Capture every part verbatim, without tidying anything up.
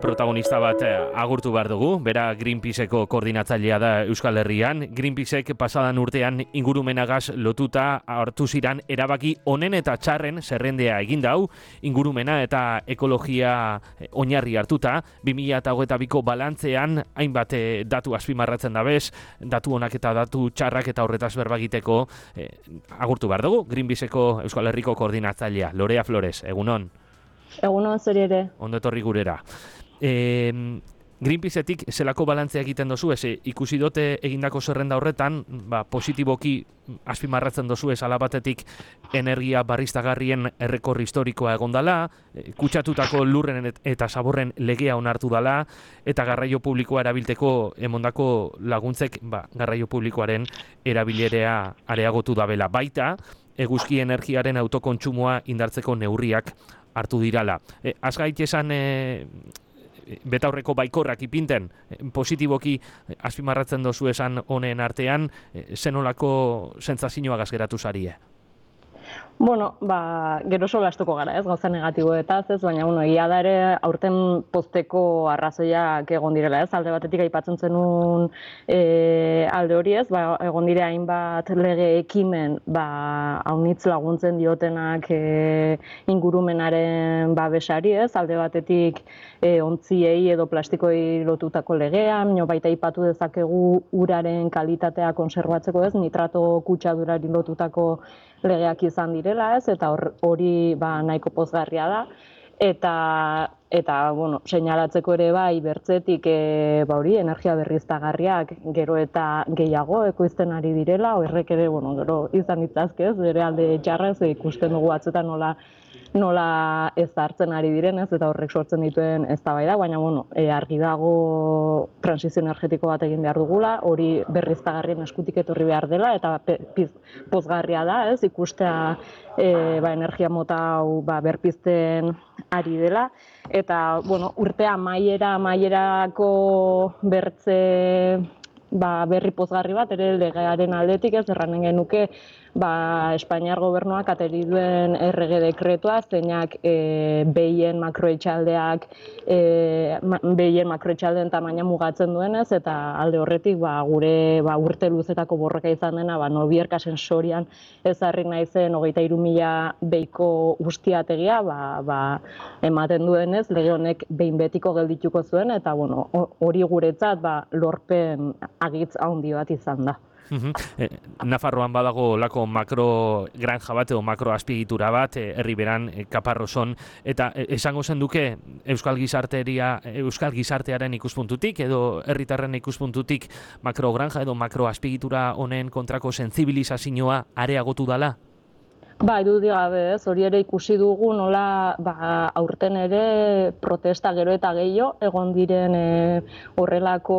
Protagonista bat agurtu behar dugu, bera Greenpeaceko koordinatzailea da Euskal Herrian. Greenpeacek pasadan urtean ingurumenagaz lotuta hartu ziran erabaki onen eta txarren zerrendea egin dau, ingurumena eta ekologia oinarri hartuta, bi mila hogeita biko balantzean hainbat datu azpimarratzen dabez, datu onak eta datu txarrak eta horretaz berbagiteko eh, agurtu behar dugu, Greenpeaceko Euskal Herriko koordinatzailea, Lorea Flores, egunon. Egunon zuri ere. Ondo etorri gurera. E, Greenpeaceetik zelako balantzea egiten dozu, ez ikusi dute egindako zerrenda horretan, ba, positiboki azpimarratzen dozu ez alabatetik energia barriztagarrien errekorri historikoa egondala, e, kutsatutako lurren eta zaborren legea onartu dala, eta garraio publikoa erabilteko emondako laguntzek ba, garraio publikoaren erabilerea areagotu dabela. Baita, eguzki energiaren autokontsumoa indartzeko neurriak hartu dirala. E, Azgait esan e, betaurreko baikorrak ipinten, positiboki azpimarratzen dozu esan honen artean, zenolako sentsazioagaz geratu zarie? Bueno, ba, gero solastuko gara, ez, gauza negatiboetaz, ez, baina, bueno, egia da ere aurten pozteko arrazoiak egon direla, ez, alde batetik aipatzen zenun e, alde hori, ez, ba, egon dire hainbat lege ekimen, ba, haunitz laguntzen diotenak e, ingurumenaren babesari, ez, alde batetik e, ontziei edo plastikoei lotutako legea, baina baita aipatu dezakegu uraren kalitatea konserbatzeko, ez, nitrato kutsadurari lotutako legeak izan direla, ez, eta hori ba, nahiko pozgarria da. Eta, eta bueno, seinalatzeko ere bai bertzetik e, ba, hori, energia berriztagarriak gero eta gehiago ekoizten ari direla, horrek ere bueno, gero izan ditzazke, ez, bere alde txarrez ikusten dugu batzuetan nola nola ez hartzen ari direnez eta horrek sortzen dituen eztabaida, baina bueno, e, argi dago transizio energetiko bat egin behar dugula, hori berriztagarrien eskutik etorri behar dela eta piz, pozgarria da, ez, ikustea e, ba, energia mota hau ba, berpizten ari dela eta bueno, urtea maiera maierako bertze ba, berri pozgarri bat ere legearen aldetik, ez, erranen genuke ba, Espainiar gobernuak ateri duen errege dekretua, zeinak e, behien makroetxaldeak e, ma, behien makroetxaldeen tamaina mugatzen duenez, eta alde horretik ba, gure ba, urte luzetako borroka izan dena, ba, Nobierka sensorian ezarri naizen hogeita hiru mila behiko ustiategia, ba, ba, ematen duenez, lege honek behin betiko geldituko zuen, eta bueno, hori guretzat ba, lorpen agitz handi bat izan da. Uhum. E, Nafarroan badago lako makro granja bat edo makro azpiegitura bat, e, herri beran, e, Kaparroson, eta e, esango zen duke Euskal Gizarteria, Euskal Gizartearen ikuspuntutik edo herritarren ikuspuntutik makro granja edo makro azpiegitura honen kontrako sentsibilizazioa areagotu dala? Ba, irudi gabe, ez, hori ere ikusi dugu nola ba, aurten ere protesta gero eta gehiago egon diren e, horrelako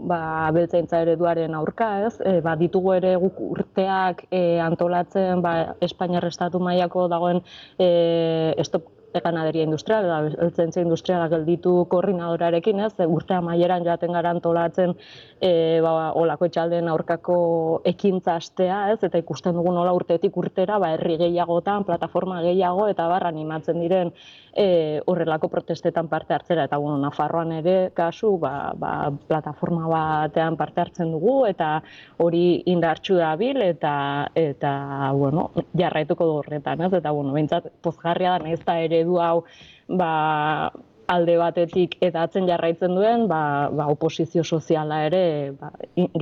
ba, abeltzaintza ereduaren aurka, ez, e, ba, ditugu ere guk urteak e, antolatzen ba, Espainiar estatu mailako dagoen e, stop ganaderia industrial, abeltzaintza industriala gelditu koordinadorarekin, ez, urte amaieran jaten gara antolatzen e, ba, olako etxaldeen aurkako ekintza astea, ez, eta ikusten dugu nola urtetik urtera, ba, herri gehiagotan, plataforma gehiago, eta bar animatzen diren e, horrelako protestetan parte hartzera, eta bueno, Nafarroan ere kasu, ba, ba, plataforma batean parte hartzen dugu, eta hori indartsu dabil, eta, eta bueno, jarraituko du horretan, ez, eta bueno, behintzat pozgarria da, nahiz da ere eredu hau ba, alde batetik edatzen jarraitzen duen, ba, ba, oposizio soziala ere ba,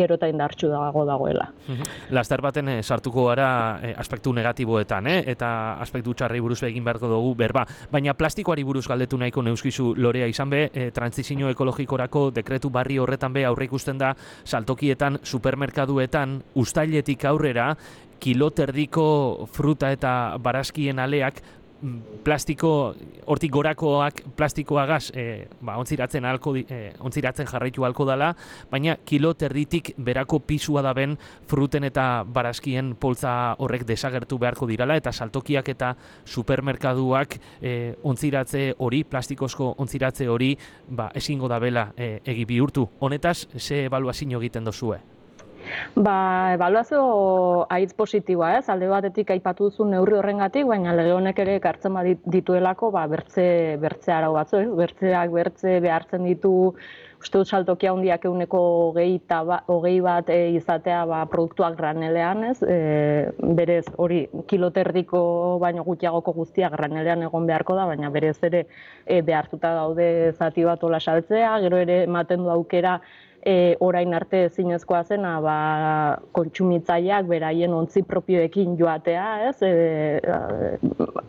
gero eta indartsu dago dagoela. Laster baten eh, sartuko gara eh, aspektu negatiboetan, eh? Eta aspektu txarrei buruz egin beharko dugu berba. Baina plastikoari buruz galdetu nahiko neuskizu Lorea izan be, eh, transizio ekologikorako dekretu barri horretan be aurre ikusten da saltokietan, supermerkaduetan, uztailetik aurrera, kiloterdiko fruta eta barazkien aleak plastiko, hortik gorakoak plastikoagaz e, ba, ontziratzen, alko, e, ontziratzen jarraitu alko dela, baina kilo terditik berako pisua da ben fruten eta barazkien poltza horrek desagertu beharko dirala, eta saltokiak eta supermerkaduak e, ontziratze hori, plastikozko ontziratze hori, ba, ezingo da bela e, egi bihurtu. Honetaz, ze ebaluazio egiten dozue? Ba, ebaluazio haitz positiboa, ez? Alde batetik aipatu duzu neurri horrengatik, baina lege honek ere ekartzen badit- dituelako ba, bertze, bertze arau batzu, ez? Bertzeak bertze behartzen ditu, uste dut saltokia handiak ehuneko hogei, ba, hogei bat e, izatea ba, produktuak granelean, ez? E, berez hori kiloterdiko baino gutxiagoko guztia granelean egon beharko da, baina berez ere e, behartuta daude zati bat ola saltzea, gero ere ematen du aukera E, orain arte ezinezkoa zena ba, kontsumitzaileak beraien ontzi propioekin joatea, ez? E,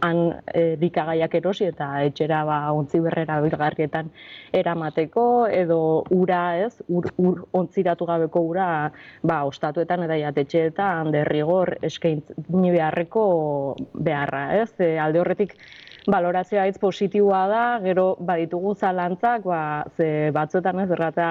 han e, likagaiak erosi eta etxera ba, ontzi berrera bilgarrietan eramateko, edo ura, ez? Ur, ur ontziratu gabeko ura ba, ostatuetan eta jatetxeetan derrigor eskaini beharreko beharra, ez? E, alde horretik balorazioa hitz positiboa da, gero baditugu zalantzak, ba, ze batzuetan ez errata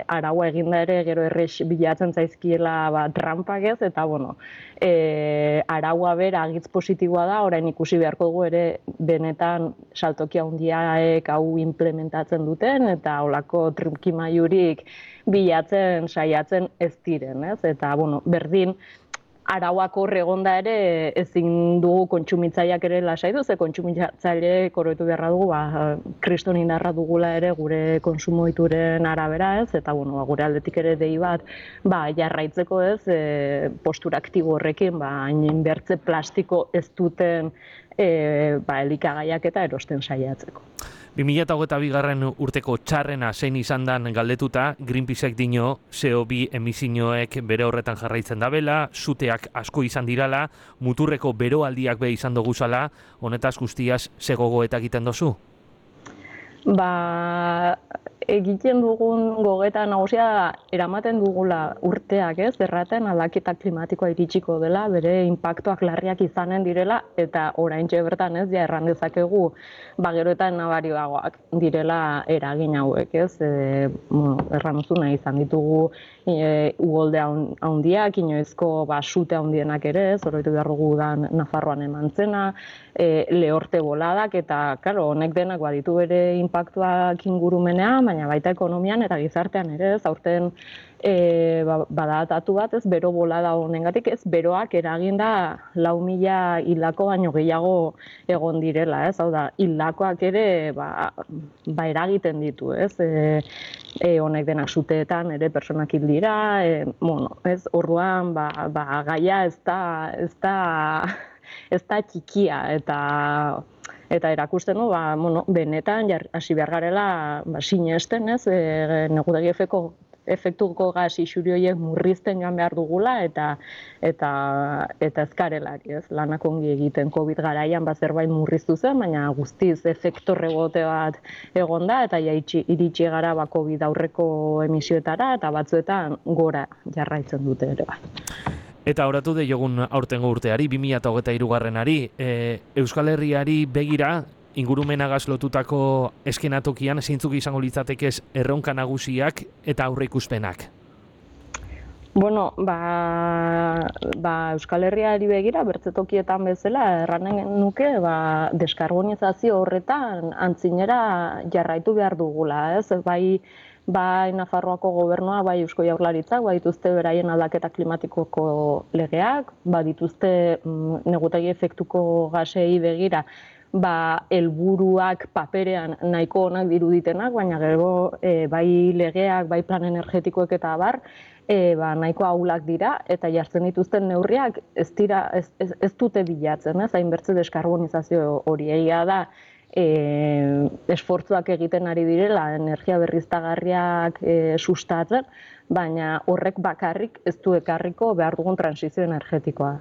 araua eginda ere gero errex bilatzen zaizkiela ba, trampak ez, eta bueno, e, araua bera hitz positiboa da, orain ikusi beharko dugu ere benetan saltokia handiaek hau implementatzen duten, eta holako trikimailurik bilatzen saiatzen ez diren, ez? Eta bueno, berdin arauak hor egonda ere ezin dugu kontsumitzaileak ere lasaitu, ze kontsumitzaileek oroitu beharra dugu, ba, kriston indarra dugula ere gure konsumo ohituren arabera, ez? Eta bueno, ba, gure aldetik ere dei bat, ba, jarraitzeko, ez? E, postura aktibo horrekin, ba, hain bertze plastiko ez duten e, ba, elikagaiak eta erosten saiatzeko. bi mila hogeita bigarren urteko txarrena zein izan dan galdetuta, Greenpeacek dino C O bi emisioek bere horretan jarraitzen dabela, suteak asko izan dirala, muturreko beroaldiak be izan doguzala, honetaz guztiaz ze gogoeta egiten dozu? Ba, egiten dugun gogeta nagusia eramaten dugula urteak, ez? Erraten aldaketa klimatikoa iritsiko dela, bere inpaktuak larriak izanen direla, eta oraintxe bertan, ez, ja erran dezakegu, ba, gero eta nabarioagoak direla eragin hauek, ez? E, bueno, erran duzuna izan ditugu e, ugolde handiak, inoizko ba, sute handienak ere, ez? Oroitu behar dugu da Nafarroan eman zena, e, lehorte boladak, eta, karo, honek denak baditu bere inpaktuak ingurumenean, baina baita ekonomian eta gizartean ere, ez, aurten e, ba, badatatu bat, ez, bero bolada honengatik, ez, beroak eraginda lau mila hildako baino gehiago egon direla, ez, hau da, hildakoak ere, ba, ba eragiten ditu, ez, e, e, honek denak suteetan ere personak hil dira, e, bueno, ez, orduan, ba, ba, gaia ez da, ez da, ez da txikia, eta Eta erakusten du, ba, bueno, benetan hasi behar garela ba, sinesten, ez, e, negutegi efeko, efektuko gas isuri horiek murrizten joan behar dugula eta eta eta ezkarelari, ez, lanak ongi egiten Covid garaian ba zerbait murriztu zen, baina guztiz efektu rebote bat egonda eta ja iritsi gara ba Covid aurreko emisioetara eta batzuetan gora jarraitzen dute ere bai. Eta horatu de jogun aurtengo urteari, bi mila hogeita hirugarrenari, e, Euskal Herriari begira, ingurumenagaz lotutako eskenatokian zeintzuk izango litzatekez erronka nagusiak eta aurreikuspenak? Bueno, ba, ba Euskal Herriari begira, bertzetokietan bezala, erranen nuke, ba, deskarbonizazio horretan antzinera jarraitu behar dugula, ez? Bai, bai Nafarroako gobernua, bai Eusko Jaurlaritzak, bai dituzte beraien aldaketa klimatikoko legeak, bai dituzte mm, negutegi efektuko gasei begira, ba helburuak paperean nahiko onak diruditenak, baina gero e, bai legeak, bai plan energetikoek eta abar, e, ba, nahiko ahulak dira eta jartzen dituzten neurriak ez dira ez, ez, ez dute bilatzen, ez? Hainbertze deskarbonizazio hori egia da. E, esfortzuak egiten ari direla, energia berriztagarriak e, sustatzen, baina horrek bakarrik ez du ekarriko behar dugun transizio energetikoa.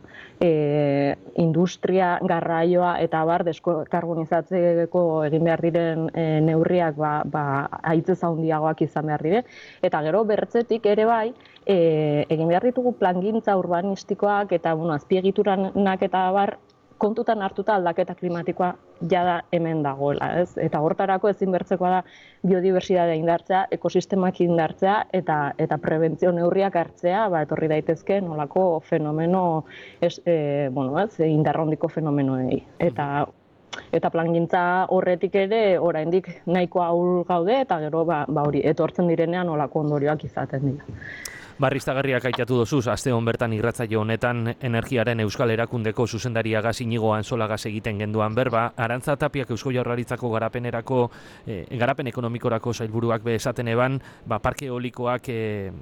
E, industria, garraioa eta bar deskarbonizatzeko egin behar diren e, neurriak ba, ba, haitzez handiagoak izan behar dire. Eta gero bertzetik ere bai, e, egin behar ditugu plangintza urbanistikoak eta bueno, azpiegituranak eta bar, kontutan hartuta aldaketa klimatikoa jada hemen dagoela, ez? Eta hortarako ezin bertzekoa da biodibertsitatea indartzea, ekosistemak indartzea eta eta prebentzio neurriak hartzea, ba etorri daitezke nolako fenomeno es, e, bueno, ez, indarrondiko fenomenoei. Eta eta plangintza horretik ere oraindik nahiko ahul gaude eta gero ba, ba hori etortzen direnean nolako ondorioak izaten dira. Barriztagarriak aitatu dozuz, aste hon bertan irratzaio honetan Energiaren Euskal Erakundeko zuzendariagaz Inigo Anzolagaz egiten genduan berba, Arantza Tapiak Eusko Jaurlaritzako garapenerako, eh, garapen ekonomikorako sailburuak be esaten eban, ba, parke eolikoak eh,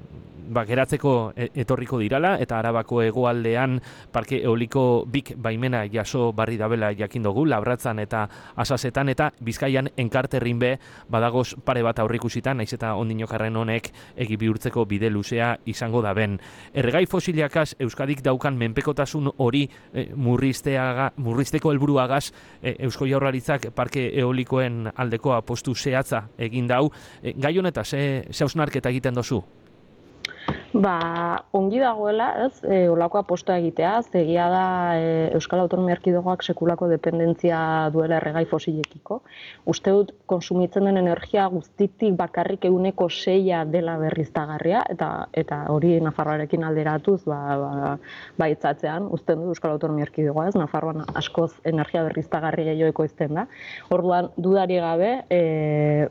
ba, geratzeko etorriko dirala, eta Arabako hegoaldean parke eoliko bik baimena jaso barri dabela jakin dugu, Labratzan eta Asasetan, eta Bizkaian enkarterrin be badagoz pare bat aurrikusitan, naiz eta ondinokarren honek egi bihurtzeko bide luzea izango da ben. Erregai fosiliakaz Euskadik daukan menpekotasun hori e, murrizteaga, murrizteko helburuagaz e, Eusko Jaurlaritzak parke eolikoen aldeko apostu zehatza egin dau. E, gai honeta, ze, ze hausnarketa egiten dozu? Ba, ongi dagoela, ez, e, olako apostoa egitea, egia da e, Euskal Autonomia Erkidegoak sekulako dependentzia duela erregai fosilekiko. Uste dut, konsumitzen den energia guztitik bakarrik ehuneko seia dela berriztagarria, eta eta hori Nafarroarekin alderatuz, ba, ba, baitzatzean, usten du Euskal Autonomia Erkidegoa, ez, Nafarroan askoz energia berriztagarri gehiago ekoizten da. Orduan, dudari gabe, e,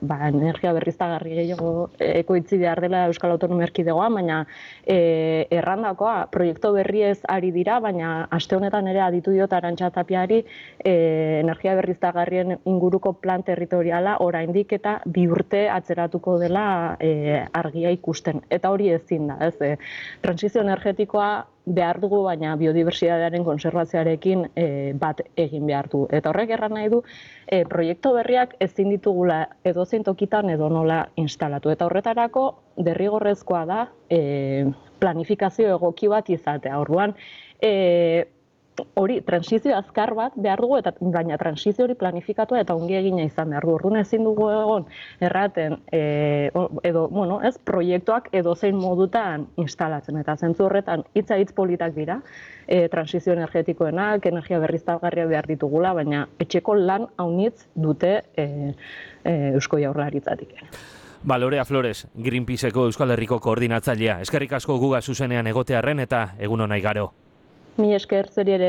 ba, energia berriztagarri gehiago ekoitzi behar dela Euskal Autonomia Erkidegoa, baina E, errandakoa, proiektu berriez ari dira, baina aste honetan ere aditu diot Arantza Tapiari e, energia berriztagarrien inguruko plan territoriala oraindik eta bi urte atzeratuko dela e, argia ikusten. Eta hori ezin da, ez? E, transizio energetikoa behar dugu, baina biodibertsitatearen konservazioarekin e, bat egin behar du. Eta horrek erran nahi du, e, proiektu berriak ezin ditugula edozein tokitan edo nola instalatu. Eta horretarako derrigorrezkoa da e, planifikazio egoki bat izatea. Orduan, e, hori, transizio azkar bat behar dugu, eta baina transizio hori planifikatua eta ongi egina izan behar dugu. Orduan ezin dugu egon erraten, e, edo, bueno, ez, proiektuak edozein modutan instalatzen. Eta zentzu horretan hitza hitz politak dira, e, transizio energetikoenak, energia berriztagarria behar ditugula, baina etxeko lan haunitz dute e, e, Eusko Jaurlaritzatik. Ba, Lorea Flores, Greenpeaceko Euskal Herriko koordinatzailea. Eskerrik asko guga zuzenean egotearren eta egun honai garo. Mi esker, zeri ere.